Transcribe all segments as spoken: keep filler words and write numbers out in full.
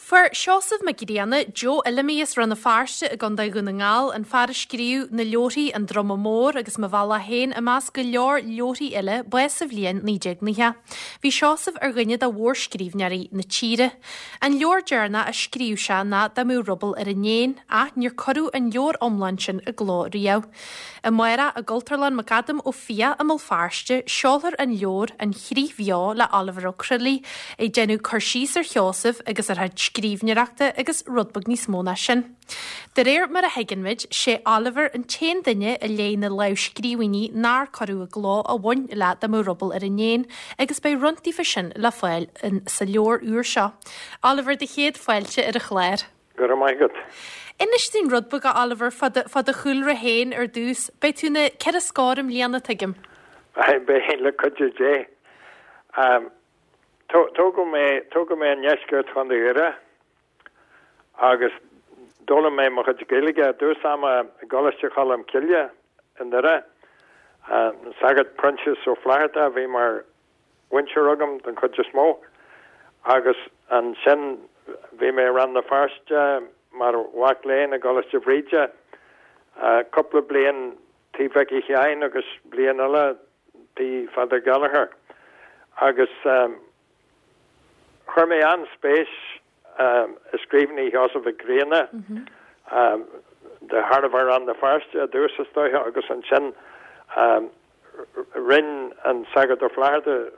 Fuair Seosamh Mac Grianna, Joe Fheilimí as Rann na Feirste i gContae Dhún na nGall, an fear a scríobh na leabharthaí An Druma Mór agus Mo Bhealach Féin i measc go leor leabharthaí eile, bás sa bhliain naoi déag nócha. Bhí Seosamh ar dhuine de mhórscríbhneoirí na tíre. An leabhar deireanach a scríobh sé ná Dá mbeadh Ruball ar an Éan, ach níor cuireadh an leabhar iomlán sin i gcló riamh. Amárach i gCultúrlann McAdam Ó Fiaich i mBéal Feirste, seolfar an leabhar An Chríoch Bheo le Oliver Ó Crualaoich, ag déanamh cur síos ar Sheosamh agus ar a chuid scríbhneoireachta agus rud beag níos mó ná sin. De réir mar a thuigeann muid, sé Oliver an t-aon duine a léigh na lámhscríbhinní nár cuireadh i gcló a bhain le Dá mbeadh Ruball ar an Éan, agus beidh roinnt díofa sin le fáil sa leabhar úr seo. Oliver, do chéad fáilte ar an chlár. Go raibh maith agat. Inis dúinn rud beag, a Oliver, fá do fá do chúlra féin ar dtús. Beidh tú na ceithre scór i mbliana, tuigim. Beidh, le cuidiú Dé. Tógadh mé, tógadh mé i ndeisceart Chontae Dhoire agus d'fhoghlaim mé mo chuid Gaeilge i dtús ama i gColáiste Cholm Cille i nDoire. An Sagart Proinsias Ó Flatharta a bhí mar mhúinteoir agam den chuid is mó agus ansin bhí mé i Rann na Feirste mar mhac léinn i gColáiste Bhríde cúpla bliain tí Mhicí Sheáin agus bliain eile tí Pheadar Gallagher agus chuir mé an-spéis i scríbhinní Sheosaimh Mhic Grianna de thairbhe Rann na Feirste i dtús is dóiche agus ansin rinne an Sagart Ó Flatharta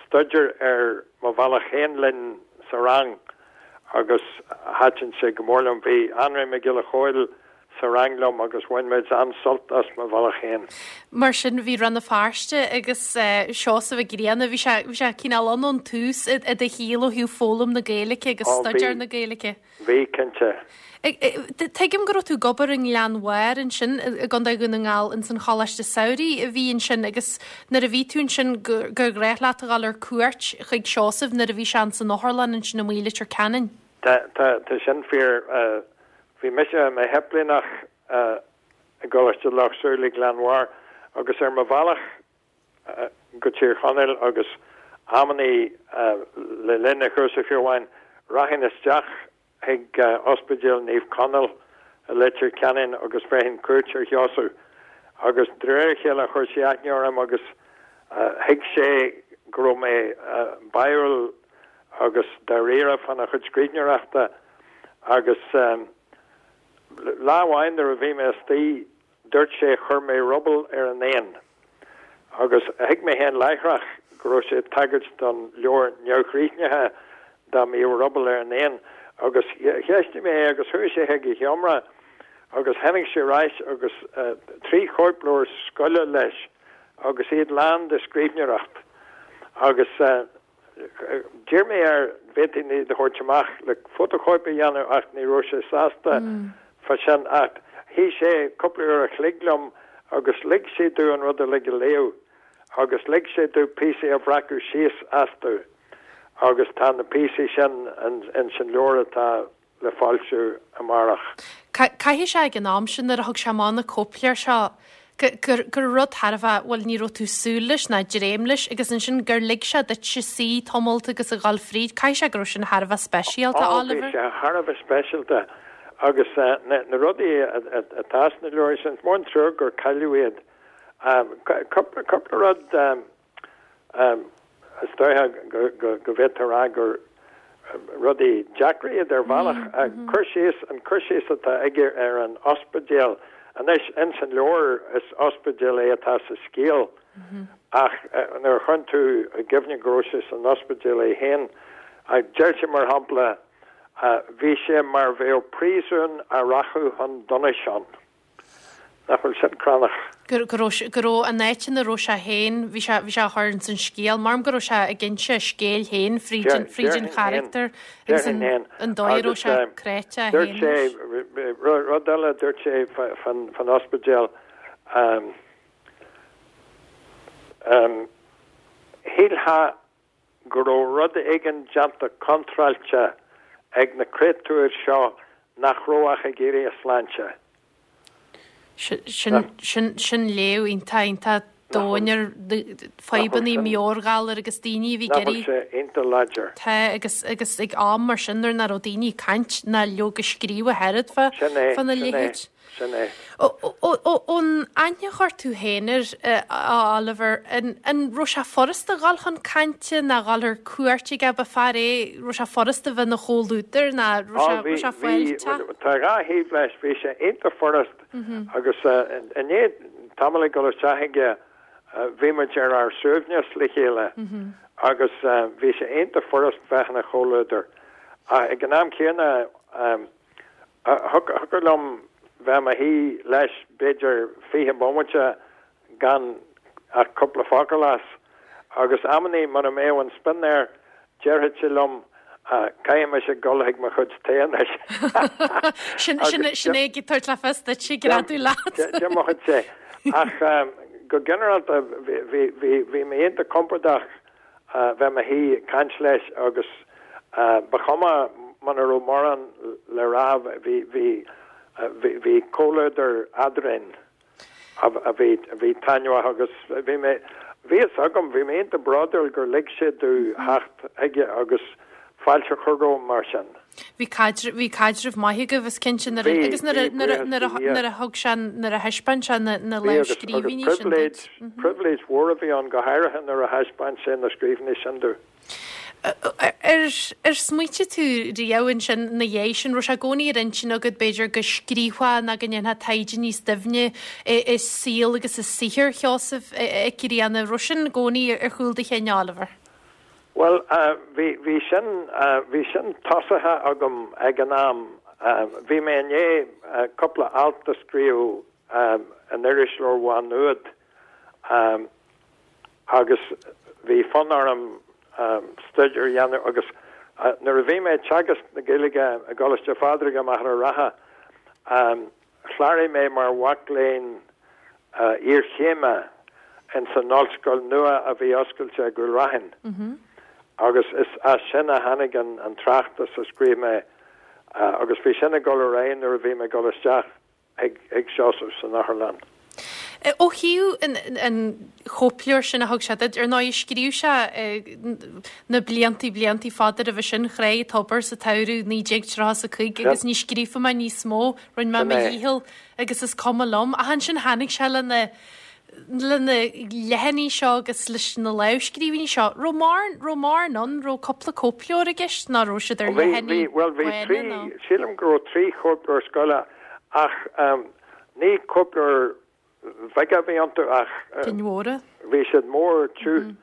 staidéar ar Mo Bhealach Féin linn sa rang agus thaitin sé go mór liom. Bhí Anraí Mac Giolla Chóill sa rang liom agus bhain muid an-sult as Mo Bhealach Féin. Mar sin, bhí Rann na Feirste agus Seosamh Mac Grianna, bhí sé, bhí sé cineál ann ón tús i do shaol ó thaobh foghlaim na Gaeilge agus staidéar na Gaeilge. Bhí, cinnte. Tuigim go raibh tú ag obair i nGleann Bhairr ansin i gContae Dhún na nGall ins an Choláiste Samhraidh a bhí ansin agus nuair a bhí tú ansin gur ghnách leat a dhul ar cuairt chuig Seosamh nuair a bhí sé ins an otharlann ansin amuigh i Leitir Ceanainn. Tá, tá, tá sin fíor. Bhí mise i mo shéiplíneach i gColáiste Loch Súilí, Gleann Bhairr, agus ar mo bhealach go Tír Chonaill agus amannaí le linn an chúrsa fiú amháin, rachainn isteach chuig Ospidéal Naomh Conaill i Leitir Ceanainn agus bhéarfainn cuairt ar Sheosamh. Agus de réir a chéile chuir sé aithne orm agus thuig sé go raibh mé báúil agus dáiríre fána chuid scríbhneoireachta agus lá amháin nuair a bhí mé istigh dúirt sé chuir mé ruball ar an éan agus thuig mé féin láithreach go raibh sé ag tagairt don leabhar neamhchríochnaithe dá mbíodh ruball ar an éan agus cheistigh mé é agus chuaigh sé chuig a sheomra agus tháinig sé ar ais agus trí chóipleabhar scoile leis agus iad lán de scríbhneoireacht agus D'iarr mé air an bhféadfainn iad a thabhairt amach le fótachóip a dhéanamh ach ní raibh sé sásta fá sin ach shuigh sé cúpla uair a chloig liom agus lig sé domh an rud uilig a léamh agus lig sé domh píosaí a bhreacadh síos astu agus tá na píosaí sin ins an leabhar atá le foilsiú amárach. Caithfidh sé ag an am sin nuair a thug sé amach na cóipleabhair seo gur gur rud thar a bheith, bhuel ní raibh tú súil leis ná dréim leis agus ansin gur lig sé duitse suí tamalt agus a dhul fríd, caithfidh sé go raibh sin thar a bheith speisialta, Ó bhí Oliver. sé thar a bheith speisialta agus na na rudaí atá sna leabhair sin, is mór an trua gur cailleadh iad. Cúpla cúpla rud Is dóiche go bhféadfá a rá gur rudaí deacra iad ar bhealach. Cur síos, an cur síos atá aige ar an ospidéal, anois ins an leabhar is ospidéal é atá sa scéal ach nuair a chuireann tú i gcuimhne go raibh sé san ospidéal é féin, deir sé mar shampla, bhí sé mar bheadh príosún a rachadh chun donais ann. Nach bhfuil sin crannach? Go go raibh go raibh an áit ina raibh sé féin, bhí sé bhí sé á chur ins an scéal, measaim go raibh sé ag inse a scéil féin fríd an fríd an charachtar agus an an dóigh a raibh sé cráite é féin leis. Rud eile a dúirt sé fan fan ospidéal, shílfeá go raibh rud éigin déanta contráilte ag na créatúir seo nach raibh ach ag iarraidh a sláinte. Sin, sin, sin léamh iontach, iontach domhain ar fadhbanna meabhairghalair agus daoine a bhí ag iarraidh. Nach bhfuil sé iontach láidir. Tá, agus agus ag am mar sin nuair nach raibh daoine ag caint ná leoga ag scríobh ach oiread fá fána leithéid. Sin é. Ón aithne a chuir tú féin air, a Oliver, an raibh sé furasta dhul chun cainte ná dhul ar cuairt aige, ba fear é, raibh sé furasta bheith ina chomhluadar ná raibh sé fáilteach? Tá dhá thaobh leis, bhí sé iontach furast agus i ndiaidh tamall ag dul isteach aige bhí muid ar ár suaimhneas le chéile agus bhí sé iontach furast bheith ina chomhluadar. Ach ag an am céanna, Thiocfadh liom bheith i mo shuí leis b'fhéidir fiche bomaite gan ach cúpla focal as, agus amannaí mura mbeadh an spion air déarfadh sé liom caithfidh mise dul chuig mo chuid tae anois. Sin é ag tabhairt le fios duit go raibh tú leat. D'imeodh sé. Ach go ginearálta bhí mé iontach compordach bheith i mo shuí ag caint leis agus ba chuma muna raibh mórán le rá, bhí, bhí, bhí comhluadar eadrainn a bhí, a bhí taitneamhach agus bhí mé, bhí fhios agam, bhí mé iontach bródúil gur lig sé domh theacht chuige agus fáilte a chur romham mar sin. Bhí caidreamh, bhí caidreamh maith agaibh is cinnte nuair a, agus nuair a, nuair a, nuair a, nuair a thug sé, nuair a thaispeáin sé na, na Bhí agus, agus lámhscríbhinní sin pribhléid, duit. pribhléid mhór a bhí ann go háirithe nuair a thaispeáin sé na scríbhinní sin domh. Ar smaoitigh tú riamh ansin ina dhiaidh sin, raibh sé i gcónaí ar intinn agat b'fhéidir go scríofá nó go ndéanfá taighde níos doimhne i saol agus i saothar Sheosaimh Mhic Grianna, raibh sin i gcónaí ar chúl do chinn, Oliver? Bhuel, bhí, bhí sin, bhí sin tosaithe agam ag an am. Bhí mé i ndiaidh cúpla alt a scríobh in Irisleabhar Mhá Nuad agus bhí fonn orm staidéar a dhéanamh agus nuair a bhí mé ag teagasc na Gaeilge i gColáiste Phádraig i Machaire Rátha, chláraigh mé mar mhac léinn iarchéime ins an ollscoil nua a bhí oscailte i gCúil Raithin agus is as sin a tháinig an tráchtas a scríobh mé agus bhí sin ag dul ar aghaidh nuair a bhí mé ag dul isteach. ag Seosamh san otharlann. Ó thaobh an chóipleabhair sin a thug sé duit, ar ndóigh, scríobh sé na bliantaí, bliantaí fada roimhe sin, Chráigh Tobar sa tsamhradh naoi déag tríocha is a cúig agus ní scríobhfaidh mé níos mó, rinne mé mo dhícheall agus is cuma liom. Ach ansin tháinig sé lena le na leathanaigh seo agus leis na lámhscríbhinní seo, raibh mórán, raibh mórán ann, raibh cúpla cóipleabhar i gceist nó raibh siad ar Bhí, bhí, leathanaigh bhuel bhí bhána trí, nó? sílim go raibh trí chóipleabhar scoile ach ní cóipleabhair bheaga a bhí iontu ach Cinn mhóra. bhí siad mór tiubh.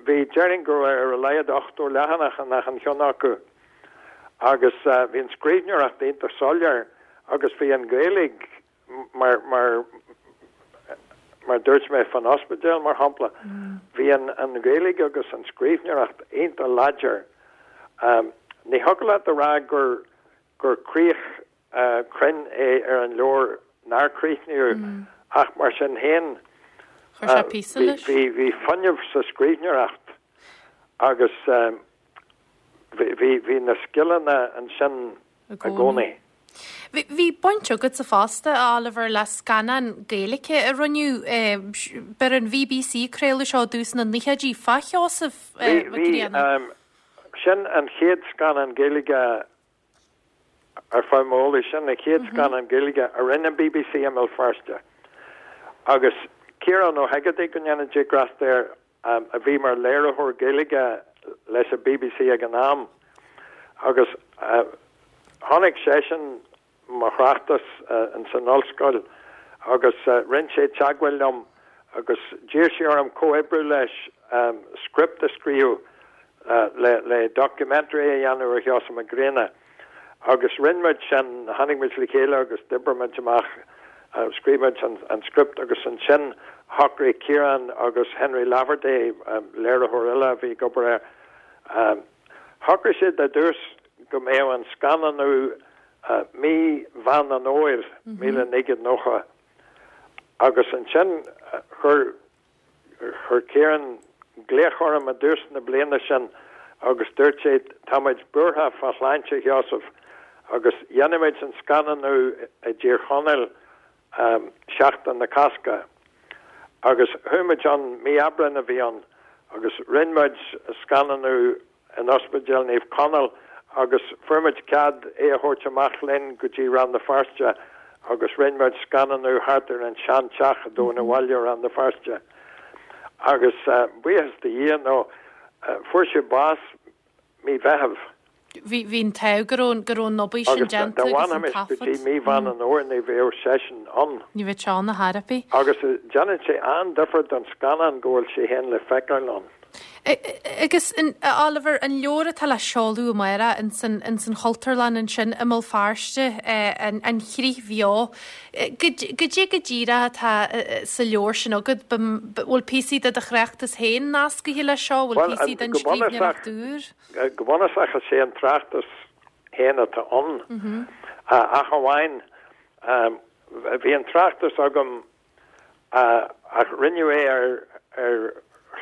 Bhí, déarfainn go raibh ar a laghad ochtó leathanach in achan cheann acu agus bhí an scríbhneoireacht iontach soiléir agus bhí an Ghaeilge mar, mar, mar dúirt mé fan ospidéal, mar shampla, bhí an, an Ghaeilge agus an scríbhneoireacht iontach láidir. Ní thiocfadh leat a rá gur, gur críoch chruinn é ar an leabhar nár críochnaíodh ach mar sin féin, Chuir sé píosa bhí, leis. bhí, bhí fuinneamh sa scríbhneoireacht agus bhí, bhí, bhí na scileanna ansin I i gcónaí. gcónaí. Bhí, bhí baint agatsa fosta, a Oliver, le scannán Gaeilge a rinneadh, b'ar an BBC a craoladh seo i dtús na naochaidí, fá Sheosamh Bhí, Mac bhí, Grianna. sin an chéad scannán Gaeilge ar feadh m'eolais, sin an chéad scannán Gaeilge a rinne an BBC i mBéal Feirste. Agus Ciarán Ó hEigeartaigh, go ndéana Dia grásta air, a bhí mar léiritheoir Gaeilge leis an BBC ag an am agus chonaic seisean mo thráchtas ins an ollscoil agus rinne sé teagmháil liom agus d'iarr sé orm comhoibriú leis script a scríobh le documentary a dhéanamh ar Sheosamh Mac Grianna. Agus rinne muid sin, tháinig muid le chéile agus d'oibrigh muid amach, scríobh muid an script agus ansin shocraigh Ciarán agus Henry Laverty, léiritheoir eile a bhí ag obair air, shocraigh siad ar dtús go mbeadh an scannánú mí Mheán an Fhómhair míle naoi gcéad nócha agus ansin chuir Chuir Ciarán glaoch orm i dtús na bliana sin agus dúirt sé, 'Táimid buartha fá shláinte Sheosaimh agus dhéanfaimid an scannánú i dTír Chonaill Seachtain na Cásca. Agus chuaigh muid ann, mí Aibreáin a bhí ann, agus rinne muid scannánú in Ospidéal Naomh Conaill agus fuair muid cead é a thabhairt amach linn go dtí Rann na Feirste agus rinne muid scannánú thart ar an seanteach i dTóin an Bhaile Rann na Feirste. Agus buíochas do Dhia nó fuair sé bás mí Mheithimh. Bhí bhí an t-ádh go raibh go raibh an obair sin Agus déanta dá agus an bhfanfaimis go dtí taifead. mí Mheán an Fhómhair ní bheadh seisean ann. Ní bheadh sé ann ar chor ar bith. Agus déanann sé an-difear don scannán go bhfuil sé féin le feiceáil ann. Agus Oliver an leabhar atá le seoladh amárach in san in san Chultúrlann ansin i mBéal Feirste an an Chríoch Bheo. Goidé go díreach atá sa leabhar sin agat bhfuil píosaí de do thráchtas féin nascaithe leis seo, bhfuil píosaí den go bunúsach scríbhneoireacht úr? go bunúsach is é an tráchtas féin atá ann. Ach amháin bhí an tráchtas agam ach rinneadh é ar ar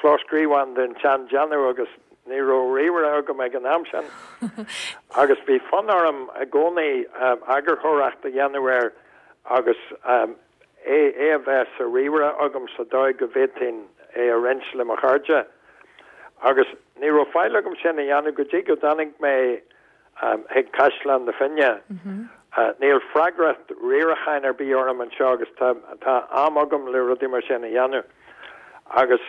chlóscríobhán den tseandéanamh agus ní raibh ríomhaire agam ag an am sin. Agus bhí fonn orm i gcónaí eagarthóireacht a dhéanamh air agus é é a bheith sa ríomhaire agam sa dóigh go bhféadfainn é a roinnt le mo chairde. Agus ní raibh faill agam sin a dhéanamh go dtí go dtáinig mé chuig Caisleán na Finne. Níl freagracht riaracháin ar bith orm anseo agus tá tá am agam le rudaí mar sin a dhéanamh. Agus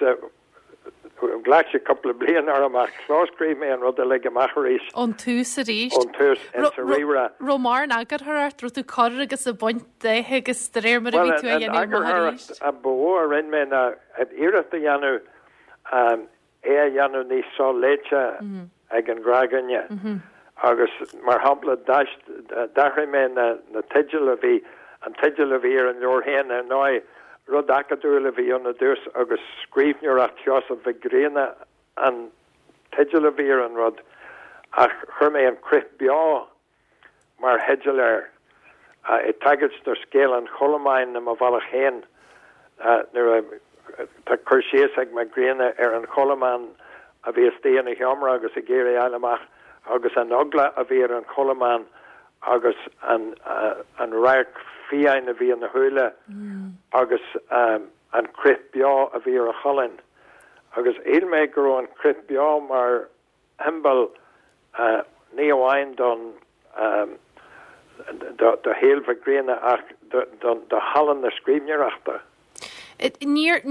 ghlac sé cúpla bliain orm ach chlóscríobh mé an rud uilig amach arís. Ón tús arís. Ón tús in sa ríomhaire. Raibh mórán eagarthóireacht raibh tú ag cur agus ag baint de agus de réir mar a bhí tú a dhéanamh amach arís. A ba mhó a rinne mé ná iarracht a dhéanamh é a dhéanamh níos soléite ag an ngnáthdhuine. Agus mar shampla d'athraigh mé na na teidil a bhí an teideal a bhí ar an leabhar féin ar ndóigh rud acadúil a bhí ann ar dtús agus scríbhneoireacht Sheosaimh Mhic Grianna an teideal a bhí ar an rud ach chuir mé an Crith Beo mar theideal air ag tagairt do scéal an Chodlamáin i mo bhealach féin nuair tá cur síos ag Mac Grianna ar an chodlamán a bhí istigh ina sheomra agus ag iarraidh fháil amach agus an eagla a bhí ar an chodlamán agus an an radharc fiáin a bhí ina shúile agus um, an crith beo a bhí ar a cholainn. Agus shíl mé go raibh an crith beo mar shiombail uh, ní amháin don um, do, do shaol Mhic Grianna ach do, do, do thallann na scríbhneoireachta. Níor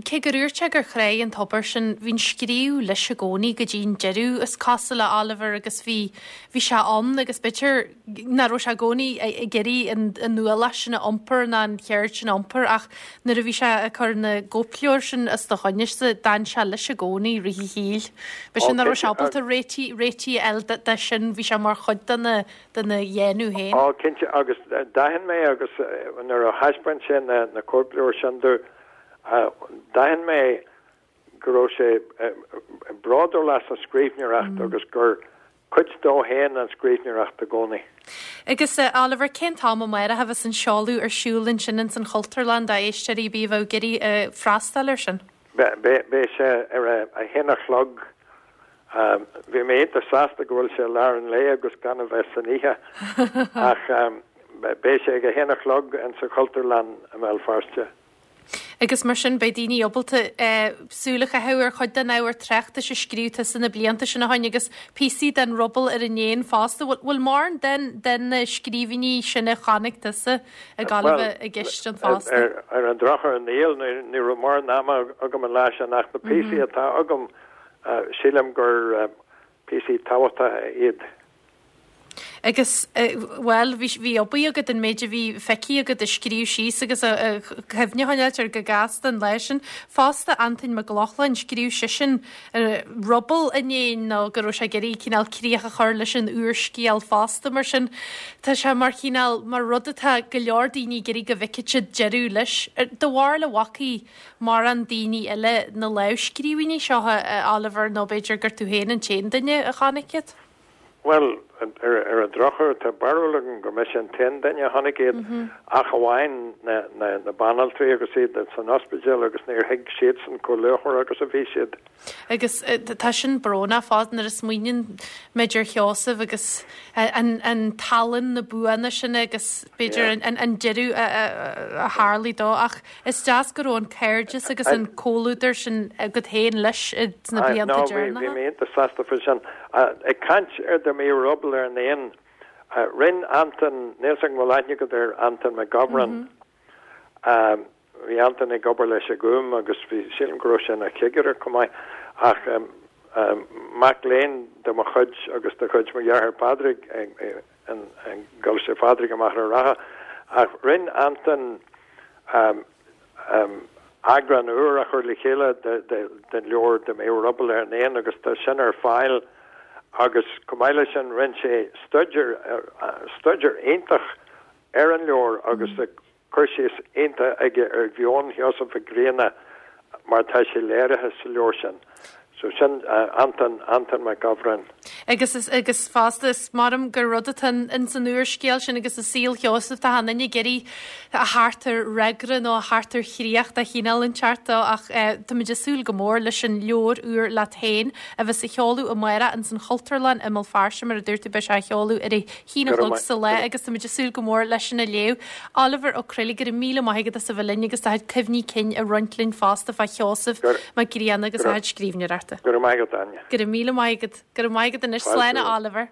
cé gur úirt gur chré an tobar sin bhín scríú leis i gcónaí go dtí'n deireadh is cosúil le Oliver agus bhí bhí sé ann agus b'fhéidir nach raibh sé i gcónaí ag iarraidh an ualach sin a iompar ná an cheird sin a iompar ach nuair a bhí sé ag cur na gcóipleabhar sin os do choinne d'fhan sé leis i gcónaí rith a shaoil. B'é sin nach raibh sé ábalta réitigh réitigh eile de sin bhí sé mar chuid de na de na dhéanamh féin. Á cinnte agus d'aithin mé agus nuair a thaispeáin sé na na cóipleabhair sin domh d'aithin mé go raibh sé bródúil as an scríbhneoireacht agus gur cuid dó féin an scríbhneoireacht i gcónaí. Agus uh, Oliver cén t-am amárach a bheas an seoladh ar siúl ansin in san Chultúrlann d'éisteoirí bí bheith ag iarraidh uh, freastal air sin? Beidh sé ar a haon a chlog bhí mé iontach sásta go bhfuil sé lár an lae agus gan a bheith san oíche ach beidh sé ag a haon a chlog in sa Chultúrlann i mBéal Feirste. Agus mar sin beidh daoine ábalta súil a chaitheamh ar chuid den ábhar tráchtais a scríobh tusa na blianta sin ó shin agus píosaí den Ruball ar an éan fosta, bhfuil mórán den den na scríbhinní sin a chonaic tusa ag gabháil i gceist an fosta. Ar an drochuair níl ní raibh mórán ama agam an lá sin ach na píosaí atá agam sílim gur píosaí tábhachtacha iad. Agus well bhí bhí obair agat an méid a bhí feicthe agat a scríobh síos agus a cuimhne ar go gasta an leis sin. Fosta Antain Mac Lochlainn scríobh seisean Ruball an Éin nó go raibh sé ag iarraidh cineál críoch a chur leis an úrscéal fosta mar sin Tá sé mar chineál mar rud atá go leor daoine ag iarraidh go bhfeicfidh siad deireadh leis. Do bharr le bhfacaí mar an daoine eile na lámhscríbhinní seo Oliver nó b'fhéidir gur tú féin an t-aon duine a chonaic iad? Well ar ar Ar an drochuair, tá barúil agam gur mise an t-aon duine a chonaic iad, ach amháin na banaltraí agus iad san ospidéal agus níor thuig siadsan chomh luachmhar agus a bhí siad. Agus tá sin brónach fós nuair a smaoiníonn muid ar Sheosamh agus an tallann, na buanna sin agus b'fhéidir an deireadh a tharlaigh dó ach is deas go raibh an cairdeas agus an comhluadar sin agat féin leis sna blianta deireanacha. Bhí mé iontach sásta faoi sin. Ag caint ar Dá mBíodh Ruball ar an Éan, rinne Antain, níl 's agam an bhfuil aithne agat ar Antain Mac Gabhráin. Bhí Antain ag obair leis an Gúm agus bhí, sílim go raibh sé ina chigire chomh maith, ach mac léinn de mo chuid agus de chuid mo dheartháir Pádraig i gColáiste Phádraig i Machaire Rátha. Ach rinne Antain eagrán úr a chur le chéile den leabhar Dá mBíodh Ruball ar an Éan agus tá sin ar fáil agus chomh maith leis sin rinne sé staidéar, staidéar iontach ar an leabhar agus tá cur síos iontach aige ar mheon Sheosaimh Mhic Grianna mar atá sé léirithe sa leabhar sin. So sin Antain, Antain Mac Gabhráin. Agus is, agus fosta is maith liom gur rud atá in san úrscéal sin agus i saol Sheosaimh tá an duine ag iarraidh a theacht ar fhreagra nó a theacht ar chríoch de chineál inteacht dó ach táimid ag súil go mór leis an leabhar úr leat féin a bheas á sheoladh amárach ins an Chultúrlann i mBéal Feirste mar a dúirt tú beidh sé á sheoladh ar a haon a chlog sa lá agus táimid ag súil go mór leis sin a léamh. Oliver Ó Croiligh, go raibh míle maith agat as a bheith linn agus do chuid cuimhní cinn a roinnt linn fosta fá Sheosamh Mac Grianna agus a chuid scríbhneoireachta. Go raibh maith agat, Áine. Go raibh míle maith agat. Go raibh maith agat anois. Slán a Oliver.